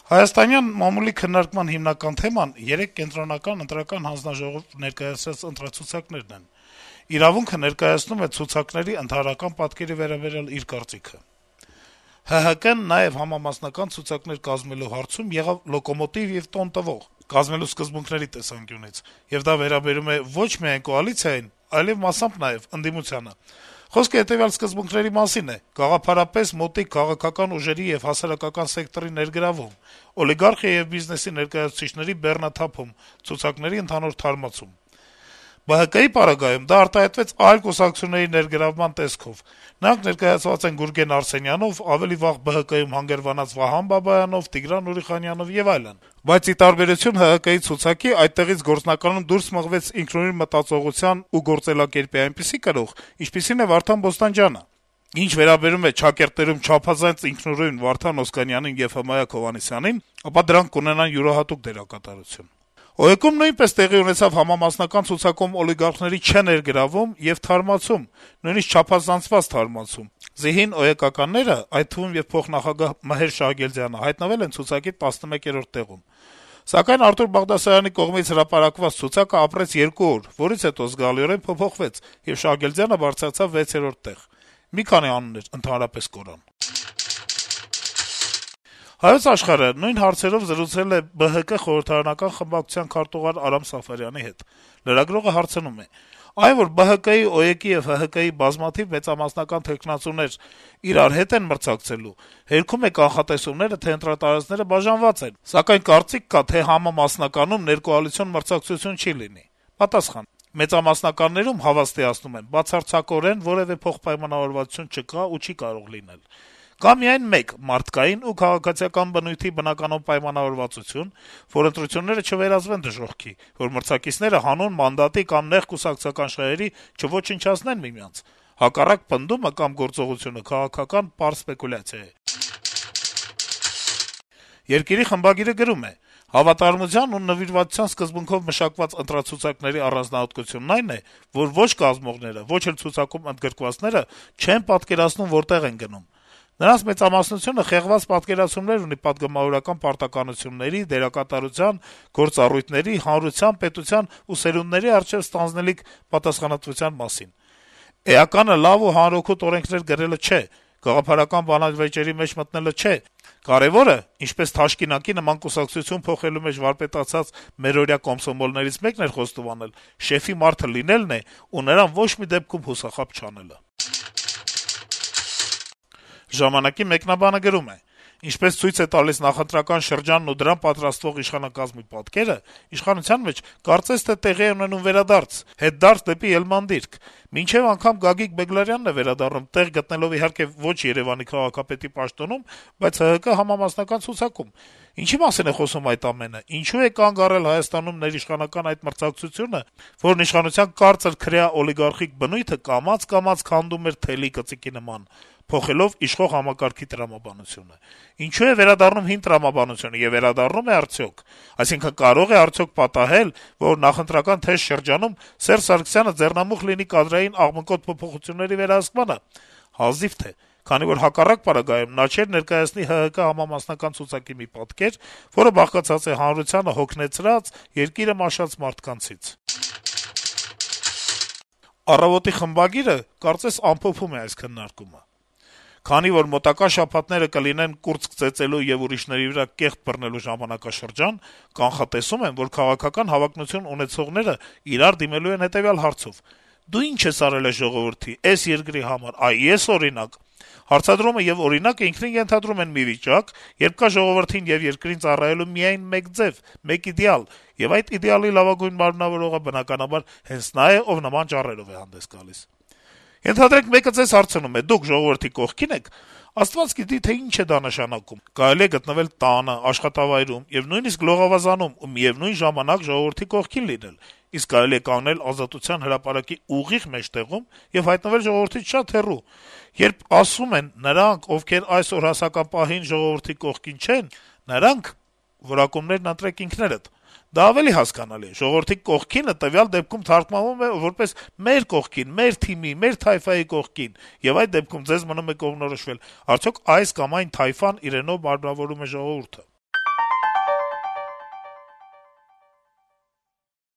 Հայաստանյան մամուլի քննարկման հիմնական թեման երեք կենտրոնական ընտրական հանձնաժողով ներկայացրած ընտրացուցակներն են։ «Իրավունք»-ը ներկայացնում է ցուցակների ընդհանրական պատկերի վերաբերյալ իր կարծիքը. - «ՀՀԿ-ն նաեւ համամասնական ցուցակներ կազմելու հարցում եղավ լոկոմոտիվ եւ տոն տվող կազմելու սկզբունքների տեսանկյունից, եւ դա վերաբերում է ոչ միայն կոալիցիային, այլեւ մասամբ նաեւ ընդդիմությանը։ Խոսքը հետեւյալ սկզբունքների մասին է. գաղափարապես մոտիկ քաղաքական ուժերի եւ հասարակական սեկտորի ներգրավում, օլիգարխիա եւ բիզնեսի ներկայացուցիչների բեռնաթափում, ցուցակների ընդհանուր թարմացում։ ԲՀԿ-ի պարագայում դա արտահայտվեց այլ կուսակցությունների ներգրավման տեսքով. նրանք ներկայացված են Գուրգեն Արսենյանով, ավելի վաղ ԲՀԿ-ում հանգրվանած Վահան Բաբայանով, Տիգրան Ուրիխանյանով եւ այլն։ Բայց ի տարբերություն ՀՀԿ-ի ցուցակի, այդտեղից գործնականում դուրս մղվեց ինքնուրույն մտածողության ու գործելակերպի այնպիսի կրող, ինչպիսին է Վարդան Բոստանջյանը։ Ինչ վերաբերում է ճակերտներում չափազանց ինքնուրույն Վարդան Օսկանյանին եւ Հմայակ Հովհաննիսյանին, ապա դրանք կունենան յուրահատուկ դերակատարություն։ ՕԵԿ-ում նույնպես տեղի ունեցավ համամասնական ցուցակում օլիգարխների չներգրավում եւ թարմացում, նույնիսկ չափազանցված թարմացում։ Զիհին ՕԵԿ-ականները, այդ թվում եւ փոխնախագահ Մհեր Շահգերդյանը, հայտնվել են ցուցակի 11-րդ տեղում։ Սակայն Արտուր Բաղդասարյանի կողմից հրապարակված ցուցակը ապրեց 2 օր, որից հետո զգալիորեն փոփոխվեց, եւ Շահգերդյանը բարձրացավ 6-րդ տեղ։ Մի քանի անուններ ընդհանրապես կորան։ Հայոց Աշխարհը նույն հարցերով զրուցել է ԲՀԿ խորհրդարանական խմբակցության քարտուղար Արամ Սաֆարյանի հետ։ Լրագրողը հարցնում է. - այն, որ ԲՀԿ-ի, ՕԵԿ-ի եւ ՀՀԿ-ի բազմաթիվ մեծամասնական թեկնածուներ իրար հետ են մրցակցելու, հերքում է կանխատեսումները, թե ընտրատարածքները բաժանված են, սակայն կարծիք կա, թե համամասնականում ներկոալիցիոն մրցակցություն չի լինի։ Պատասխան. մեծամասնականներում հավաստիացնում են, բացարձակորեն որեւէ փոխպայմանավորվածություն չկա ու չի կարող լինել։ Կա միայն մեկ մարդկային ու քաղաքացիական բնույթի բնականon պայմանավորվածություն, որ ընտրությունները չվերածվեն դժոխքի, որ մրցակիցները հանուն մանդատի կամ նեղ կուսակցական շահերի չոչնչացնեն միմյանց։ Հակառակ պնդումը կամ գործողությունը քաղաքական պարզ սպեկուլյացիա է։ Երկիրի խմբագիրը գրում է. - «Հավատարմության ու նվիրվածության սկզբունքով մշակված ընտրացուցակների առանձնահատկությունն այն է, որ ոչ կազմողները, ոչ էլ ցուցակում ընդգրկվածները չեն պատկերացնում որտեղ են գնում։ Նրանց մեծամասնությունը խեղված պատկերացումներ ունի պատգամավորական պարտականությունների, դերակատարության, գործառույթների, հանրության, պետության ու սերունդների առջեւ ստանձնելիք պատասխանատվության մասին։ Էականը լավ ու հանրօգուտ օրենքներ գրելը չէ, գաղափարական բանավեճերի մեջ մտնելը չէ։ Կարեւորը, ինչպես թաշկինակի նման կուսակցություն փոխելու մեջ վարպետացած մերօրյա կոմսոմոլներից մեկն էր խոստովանել, շեֆի մարդը լինելն է ու նրան ոչ մի դեպքում հուսախաբ չանելը»։ «Ժամանակ»-ի մեկնաբանը գրում է. - «Ինչպես ցույց է տալիս նախընտրական շրջանն ու դրան պատրաստվող իշխանակազմի պատկերը, իշխանության մեջ կարծես թե տեղի է ունենում վերադարձ, հետդարձ դեպի Էլման դիրք։ Մինչեւ անգամ Գագիկ Բեգլարյանն է վերադառնում, տեղ գտնելով իհարկե ոչ Երեւանի քաղաքապետի պաշտոնում, բայց ՀՀԿ համամասնական ցուցակում։ Ինչի մասին է խոսում այդ ամենը, ինչու է կանգ առել Հայաստանում ներիշխանական այդ մրցակցությունը, որն իշխանության կարծր քրեա օլիգարխիկ բնույթը կամաց-կամաց քանդում էր թելի կծիկի նման, փոխելով իշխող համակարգի տրամաբանությունը։ Ինչու է վերադառնում հին տրամաբանությունը եւ վերադառնում է արդյոք։ Այսինքն կարող է արդյոք պատահել, որ նախընտրական թեժ շրջանում Սերժ Սարգսյանը ձեռնամուխ լինի կադրային աղմկոտ փոփոխությունների վերահսկմանը։ Հազիվ թե, քանի որ հակառակ պարագայում նա չէր ներկայացնի ՀՀԿ համամասնական ցուցակի մի պատկեր, որը բաղկացած է հանրությանը հոգնեցրած, երկիրը մաշած մարդկանցից»։ «Առավոտ»-ի խմբագիրը կարծես ամփոփում է այս քննարկումը. - «Քանի որ մոտակա շաբաթները կլինեն կուրծք ծեծելու եւ ուրիշների վրա կեղտ բռնելու ժամանակաշրջան, կանխատեսում եմ, որ քաղաքական հավակնություն ունեցողները իրար դիմելու են հետեւյալ հարցով. «Դու ինչ ես արել այս ժողովրդի, այս երկրի համար, այ ես օրինակ»։ Հարցադրումը եւ օրինակը ինքնին ենթադրում են մի վիճակ, երբ կա ժողովրդին եւ երկրին ծառայելու միայն մեկ ձեւ, մեկ իդեալ, եւ այդ իդեալի լավագույն մարմնավորողը բնականաբար հենց նա է, ով նման ճառերով է հանդես գալիս։ Ենթադրենք մեկը ձեզ հարցնում է. դուք ժողովրդի կողքին եք, Աստված գիտի, թե ինչ է դա նշանակում։ Կարելի է գտնվել տանը, աշխատավայրում եւ նույնիսկ լողավազանում ու միեւնույն ժամանակ ժողովրդի կողքին լինել, իսկ կարելի է կանգնել Ազատության հրապարակի ուղիղ մեջտեղում եւ հայտնվել ժողովրդից շատ հեռու։ Երբ ասում են նրանք, ովքեր այսօր հասական պահին ժողովրդի կողքին չեն, նրանք որակումներն ընտրեք ինքներդ։ Դա ավելի հասկանալի է։ Ժողովրդի կողքինը տվյալ դեպքում թարգմանվում է որպես մեր կողքին, մեր թիմի, մեր թայֆայի կողքին, եւ այդ դեպքում ձեզ մնում է կողմնորոշվել՝ արդյոք այս կամ այն թայֆան իրենով մարմնավորում է ժողովուրդը։